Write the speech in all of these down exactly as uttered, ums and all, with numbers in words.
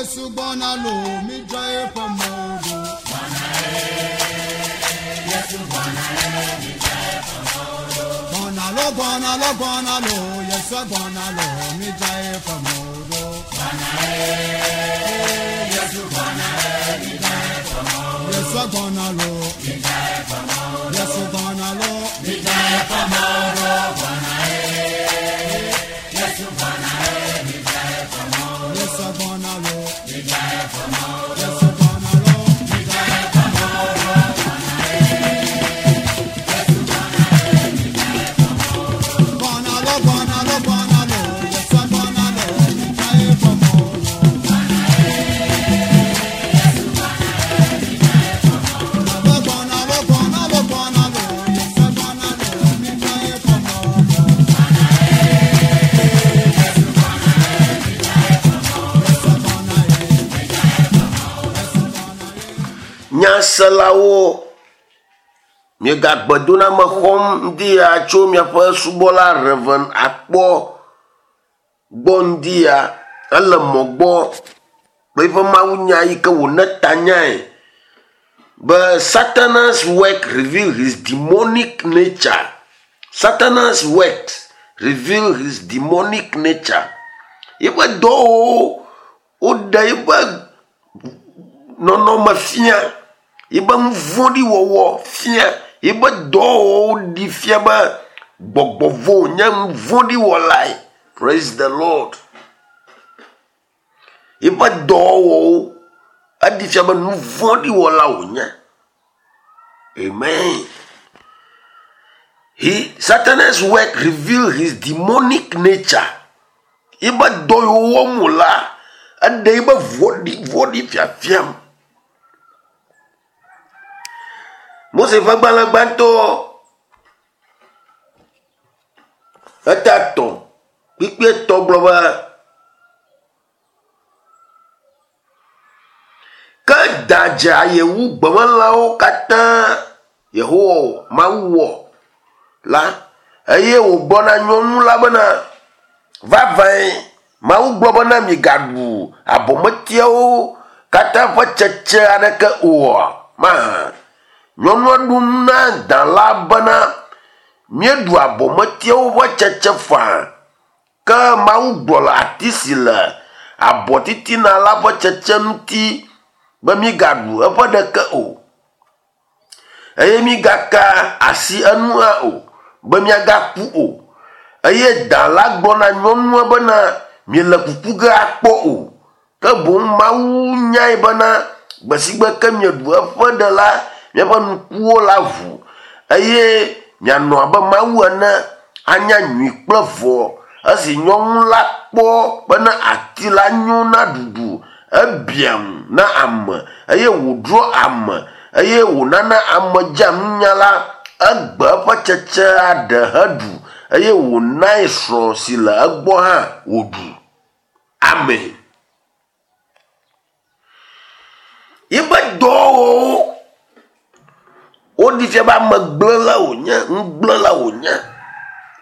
Yesu gbɔna lo, mi dzra eƒe mɔwo ɖo. Gbɔna lo, gbɔna lo, gbɔna lo, Yesu gbɔna lo, mi dzra eƒe mɔwo ɖo. Yesu gbɔna lo, Yesu gbɔna lo, mi dzra eƒe mɔwo ɖo. Yesu gbɔna lo, Yesu gbɔna lo, mi dzra eƒe mɔwo ɖo. Gbɔna lo, gbɔna lo, gbɔna lo, Yesu gbɔna lo, mi dzra eƒe mɔwo ɖo. Gbɔna lo, gbɔna lo, gbɔna lo, Yesu gbɔna lo, mi dzra eƒe mɔwo ɖo. Yesu gbɔna ye, Yesu gbɔna ye. Nyaselawo, miegagbe xɔm ŋdi ya tso miaƒe subɔla Reverend Akpɔ gbɔ ŋdi ya. Ele mɔ gbɔ kple eƒe mawunya yi ke wòne tanyae be Satan's work reveal his demonic nature. Satan's works reveal his demonic nature. Yeƒe dɔwɔwɔwo woɖe yeƒe nɔnɔme fia, yeƒe nu vɔ̃ɖi wɔwɔ fia, yeƒe dɔwɔwɔwo ɖi fia be gbɔgbɔ vɔ̃ wònye nu vɔ̃ɖi wɔlae. Praise the Lord. Yeƒe dɔwɔwɔwo eɖi fia be nu vɔ̃ɖi wɔla wònye. Amen. He, Satan's work reveal his demonic nature. Yeƒe dɔ yiwo wɔm wòlea, eɖe yeƒe vɔ̃ɖi vɔ̃ɖi fiafiam. Mose ƒe agbalẽ gbãtɔ eta etɔ̃ kpukpui etɔ̃ gblɔ be ke da dze aye wu gbemelãwo katã Yehowa Mawu wɔ la eye wògblɔ na nyɔnu la bena vavãe Mawu gblɔ bena migaɖu abɔmetiawo katã ƒe tsetse aɖeke oa mahã. Nyɔnua ɖo ŋu na da la bena míeɖu abɔmetiawo ƒe tsetse faa ke Mawu gblɔ le ati si le abɔ titina la ƒe tsetse ŋuti be mígaɖu eƒe ɖeke o eye mígaka asi enu hã o be míagaku o. Eye da la gblɔ na nyɔnua bena miele kuku ge akpɔ o ke boŋ Mawu nyae bena gbe si gbe ke mieɖu eƒe ɖe la miaƒe ŋkuwo la ʋu eye mianɔ abe Mawu ene anya nyui kple vɔ̃. Esi nyɔnu la kpɔ bena ati la nyo na ɖuɖu, ebia ŋu na ame eye wòdro ame eye wònana ame dzea nunya la, egbe eƒe tsetsea ɖe heɖu eye wònae srɔ̃ si le egbɔ hã wòɖu. Amen. Yeƒe dɔwɔwɔwo woɖi fia be amegblẽla wònye, nugblẽla wònye.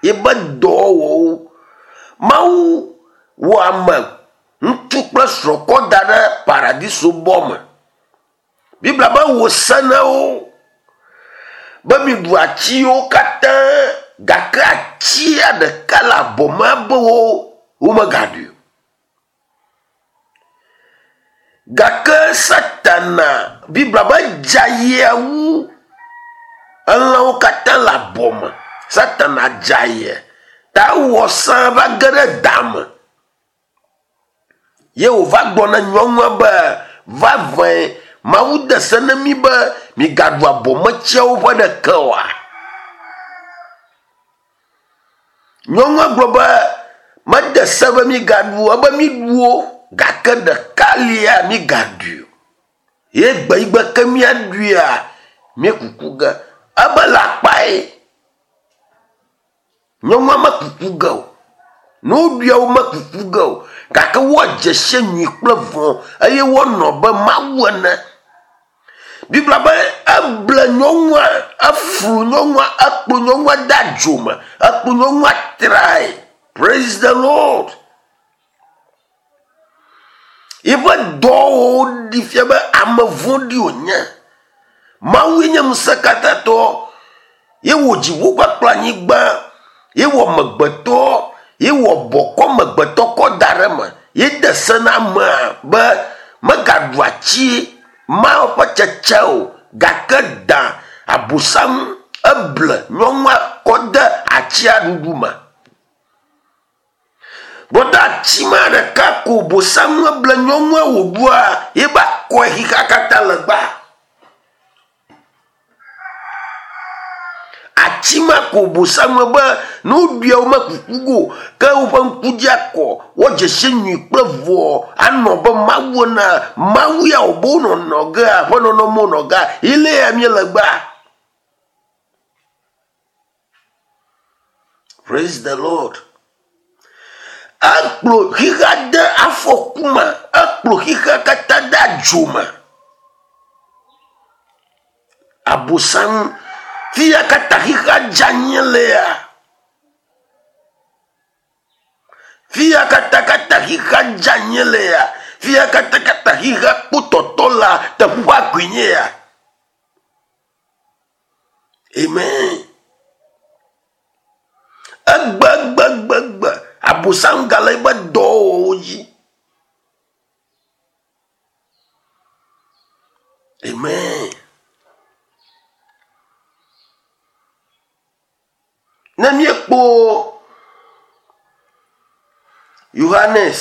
Yeƒe dɔwɔwɔwo. Mawu wɔ ame ŋutsu kple srɔ̃ kɔ da ɖe paradiso bɔ me. Biblia be wò se na wo be miɖu atiwo katã gake atia ɖeka le abɔ me be wo womegaɖui o. Gake Satana Biblia be dze ayea wu elãwo katã le abɔ me. Satana dze aye ta ewɔ sã va ge ɖe da me. Ye wòva gblɔ na nyɔnua be vavãe Mawu de se na mí be migaɖu abɔmetsiawo ƒe ɖeke oa. Nyɔnua gblɔ be mede se be migaɖu o, ebe miɖu wo gake ɖeka lia migaɖui o. Ye gbe yi gbe ke míaɖuia, míekuku ge. Ebe le akpae. Nyɔnua mekuku ge o. Ne woɖuia womekuku ge o. Gake woadze si nyui kple vɔ̃ eye woanɔ be Mawu ene. Biblia be eble nyɔnua, eflu nyɔnua, ekplɔ nyɔnua de adzo me, ekplɔ nyɔnua trae. Praise the Lord. Yiƒe dɔwɔwɔwo ɖi fia be ame vɔ̃ɖi wònye. Mawue nye ŋusẽkatãtɔ. Ye wɔ dziƒo kpakple anyigba. Ye wɔ amegbetɔ. Ye wɔ bɔkɔ amegbetɔ kɔ da ɖe eme. Ye de se na amea be megaɖu ati Mawu ƒe tsetse o gake da abosam eble nyɔnua kɔ de atsia ɖuɖu me. Gbɔdɔ ati ma ɖeka ko bosam eble nyɔnua wòɖua ye ba kɔe xixea katã le gba. Ati ma ko bosam be ne woɖuia womekuku go ke woƒe ŋku dzi akɔ woadze si nyui kple vɔ anɔ be Mawu ena Mawu ya wòbe wonɔnɔ gea ƒe nɔnɔme wonɔ gea ile ya míele gbea. Praise the Lord. Ekplɔ xixea de afɔku me, ekplɔ xixea katã de adzo me. Abosam fia katã xixea dze anyi lea. Fia katã katã xixea dze anyi lea. Fia katã katã xixea kpɔ la teƒea koe nye ya. Amen. Egbe egbe egbe egbe abosam gale eƒe dɔwɔwɔwo dzi. Amen. Ne míekpɔ Yohanes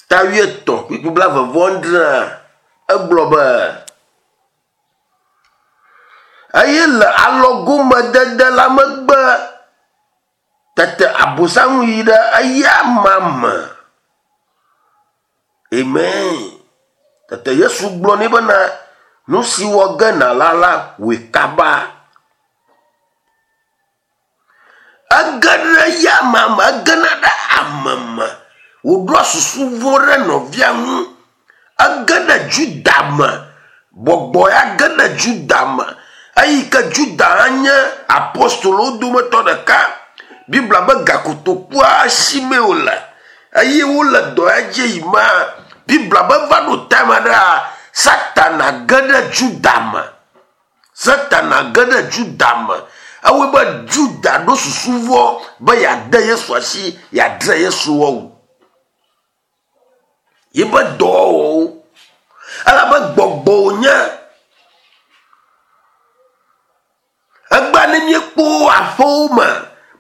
ta wuietɔ̃ kpukpui blaeve vɔ adrea egblɔ be eye le alɔgomedede la megbe tete abosam yi ɖe eya amea me. Amen. Tete Yesu gblɔ nɛ bena nu si wɔ ge nàla la wɔe kaba. Ege ɖe eya amea me, egena ɖe ame me. Wòɖoa susu vɔ̃ ɖe nɔvia ŋu. Ege ɖe Juda me. Gbɔgbɔ ya ge ɖe Juda me. Eyi ke Juda hã nye apostolowo dometɔ ɖeka. Biblia be gakotokua si mee wòle. Eye wole dɔ ya dzi yi ma. Biblia be va ɖo time aɖea, Satana ge ɖe Juda me. Satana ge ɖe Juda me. Ewɔe be Juda ɖo susu vɔ̃ be yeade Yesu asi, yeadre Yesu wɔwu. Yiƒe dɔwɔwɔwo. Elabe gbɔgbɔ wònye. Egbea ne míekpɔ aƒewo me,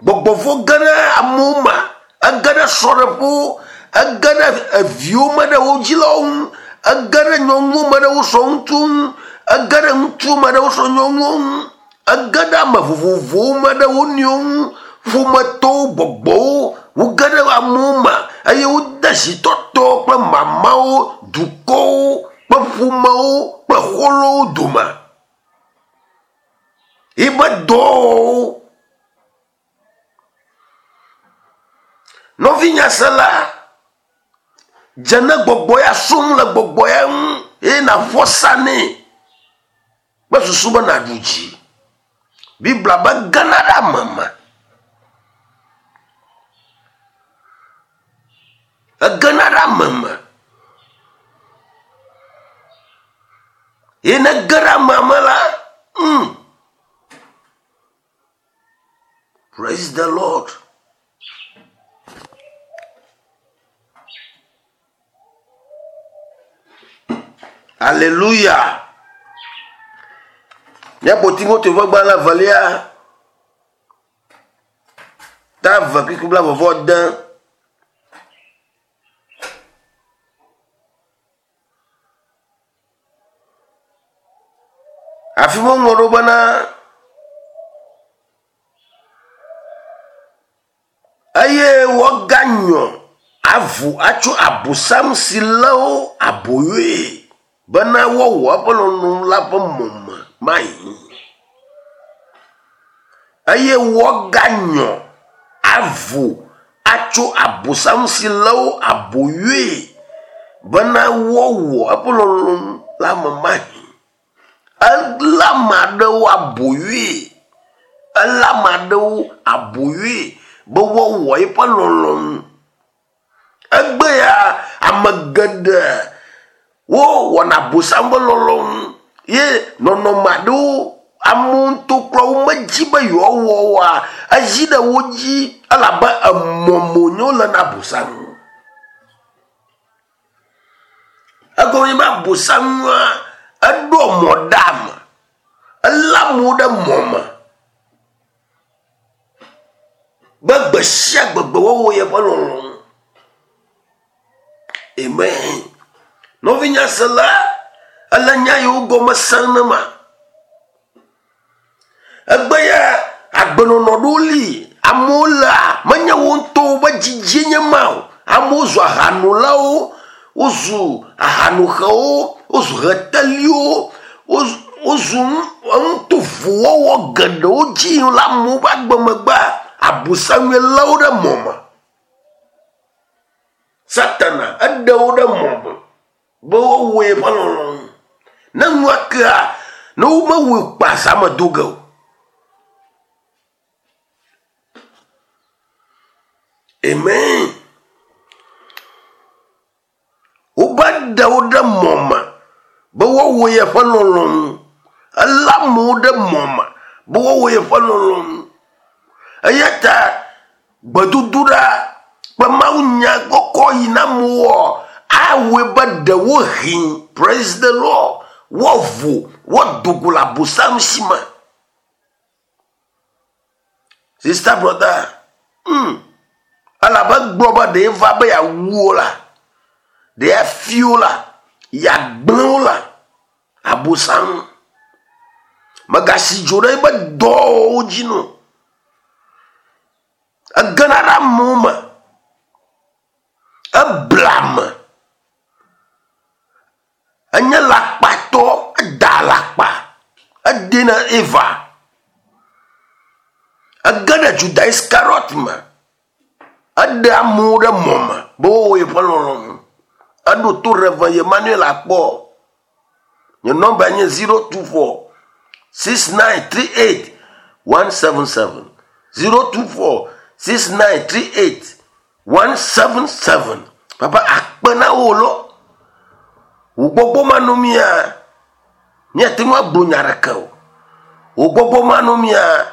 gbɔgbɔ vɔ̃ ge ɖe amewo me, ege ɖe srɔ̃ɖeƒewo, ege ɖe eviwo me ɖe wo dzilawo ŋu, ege ɖe nyɔnuwo me ɖe wo srɔ̃ ŋutsuwo ŋu, ege ɖe ŋutsuwo me ɖe wo srɔ̃ nyɔnuwo ŋu, ege ɖe ame vovovowo me ɖe wo nɔewo ŋu, ƒometɔwo, gbɔgbɔwo, woge ɖe amewo me eye wode zitɔtɔ kple mamawo, dukɔwo kple ƒomewo kple xɔlɔ̃wo dome. Yiƒe dɔwɔwɔwo. Nɔvinyasela, dze ne gbɔgbɔ ya som le gbɔgbɔ ya ŋu eye nàƒo asa nɛ kple susu be nàɖu dzi. Biblia be gena ɖe ame me. Egena ɖe ame me. Ye ne ge ɖe amea me la, mm. Praise the Lord. Hallelujah. Míaƒo Timoteo ƒe gbalẽ evelia ta eve kpukpui blaeve vɔ ade. Afi ma woŋlɔ ɖo bena eye woaganyɔ avu atso abosam si lé wo aboyoe bena woawɔ eƒe lɔlɔ̃nu la ƒe mɔme mayi. Eye woaganyɔ avu atso abosam si lé wo aboyoe bena woawɔ eƒe lɔlɔ̃nu la me mayi. Elé ame aɖewo aboyoe. Elé ame aɖewo aboyoe be woawɔ eƒe lɔlɔ̃nu. Egbe ya ame geɖe wowɔna abosam ƒe lɔlɔ̃nu ye nɔnɔme aɖewo amewo ŋutɔ kura womedzi be yewoawɔ oa, ezi ɖe wo dzi elabe emɔme wonye wole na abosam. Egɔme nye be abosamua eɖo mɔ ɖe ame, elé amewo ɖe mɔ me be gbe sia gbegbe woawɔ yeƒe lɔlɔ̃nu. Amen. Nɔvinye sela, ele nya yiwo gɔme sem ne ma. Egbe ya agbenɔnɔ ɖewo li, amewo lea, menye wo ŋutɔwo be dzidzie nye ma o. Amewo zu ahanolawo, wozu ahanoxewo, wozu heteliwo, wozu nutovowo geɖewo dzi le amewo ƒe agbemegbea, abosamue lé wo ɖe mɔ me. Satana eɖe wo ɖe mɔ me be woawɔ yeƒe lɔlɔ̃nu. Ne nua kea, ne womewɔe kpa zã me do ge o. Amen. Wobe ɖe wo ɖe mɔ me be woawɔ yeƒe lɔlɔ̃nu. Elé amewo ɖe mɔ me be woawɔ yeƒe lɔlɔ̃nu. Eya ta gbedodoɖa kple mawunya kɔkɔ yi na amewoa, awɔe be ɖewohĩ, praise the Lord, woavo, woado go le abosam si me. Sister, brother, hmm, elabe gblɔ be ɖe va be yeawu wo la, ɖe yeafi wo la, yeagblẽ wo la, abosam. Megasi dzo ɖe eƒe dɔwɔwɔwo dzi no. Egena ɖe amewo me. Ebla ame. Enye lakpatɔ, eda alakpa, edena Eva. Ege ɖe Juda Iskariot me. Eɖe amewo ɖe mɔ me be woawɔ yeƒe lɔlɔ̃nu. Eɖo to Reverend Emmanuel akpɔ. Nye nɔmba nye zero two four six nine three eight one seven seven. zero two four six nine three eight one seven seven. Papa akpe na wo lo. Wò gbɔgbɔ manɔ mía, míate ŋu agblɔ nya ɖeke o. Wò gbɔgbɔ manɔ mía,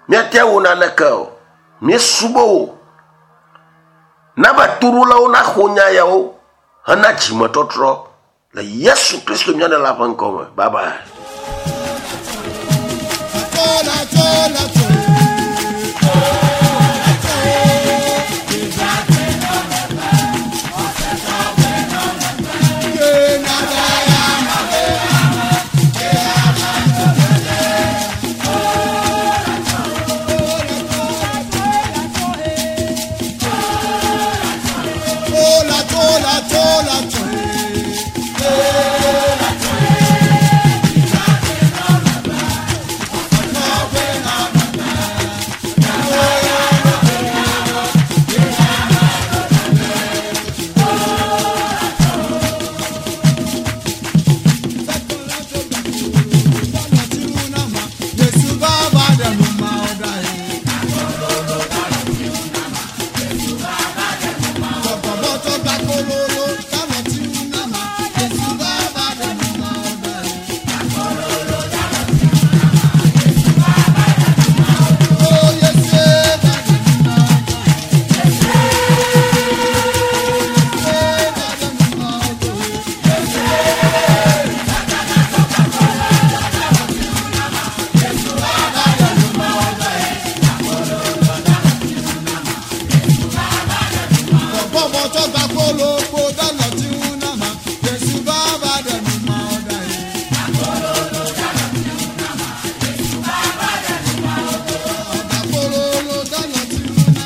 míate awɔ naneke o. Míesubɔ wò. Na be toɖolawo naxɔ nya yawo hena dzimetɔtrɔ le Yesu Kristo mía Ɖela ƒe ŋkɔ me. Bye bye. Chola, chola, chola.